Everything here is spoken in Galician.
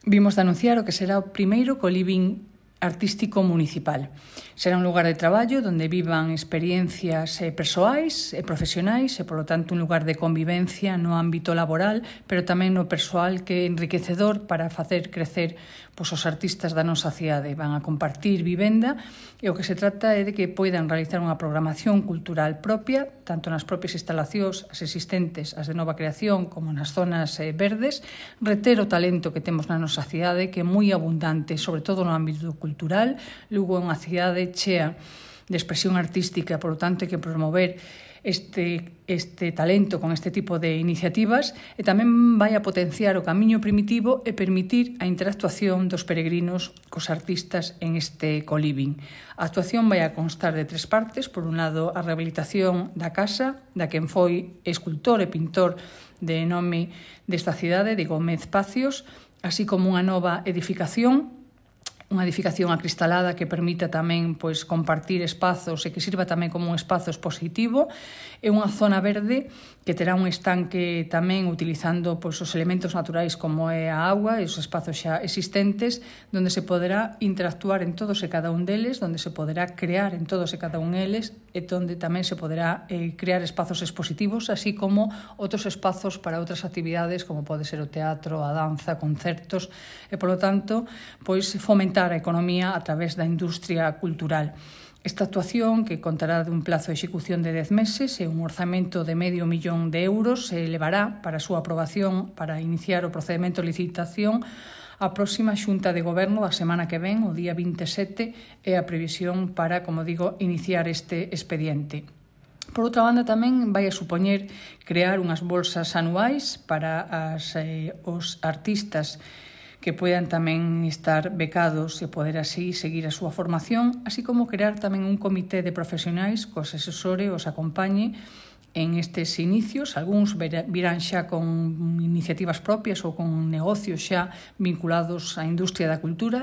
vimos de anunciar o que será o primeiro coliving artístico municipal. Será un lugar de traballo onde vivan experiencias persoais e profesionais e, polo tanto, un lugar de convivencia no ámbito laboral, pero tamén no persoal, que é enriquecedor para facer crecer os artistas da nosa cidade. Van a compartir vivenda e o que se trata é de que poidan realizar unha programación cultural propia, tanto nas propias instalacións, as existentes, as de nova creación, como nas zonas verdes, reter o talento que temos na nosa cidade, que é moi abundante, sobre todo no ámbito cultural. Lugo é unha cidade chea de expresión artística, por lo tanto, hai que promover este talento con este tipo de iniciativas, e tamén vai a potenciar o camiño primitivo e permitir a interactuación dos peregrinos cos artistas en este coliving. A actuación vai a constar de 3 partes. Por un lado, a rehabilitación da casa da quen foi escultor e pintor de nome desta cidade, de Gómez Pacios, así como unha nova edificación acristalada que permita tamén compartir espazos e que sirva tamén como un espazo expositivo, e unha zona verde que terá un estanque tamén utilizando os elementos naturais como é a auga e os espazos xa existentes, onde se poderá interactuar en todos e cada un deles, onde se poderá crear en todos e cada un deles, e onde tamén se poderá crear espazos expositivos, así como outros espazos para outras actividades como pode ser o teatro, a danza, concertos, e polo tanto fomentar a economía a través da industria cultural. Esta actuación, que contará dun plazo de execución de 10 meses e un orzamento de €500.000, se levará para a súa aprobación para iniciar o procedimento de licitación a próxima Xunta de Goberno a semana que ven, o día 27, é a previsión para, como digo, iniciar este expediente. Por outra banda, tamén vai a supoñer crear unhas bolsas anuais para os artistas que poidan tamén estar becados e poder así seguir a súa formación, así como crear tamén un comité de profesionais que os asesore, os acompañe en estes inicios. Algúns virán xa con iniciativas propias ou con negocios xa vinculados á industria da cultura,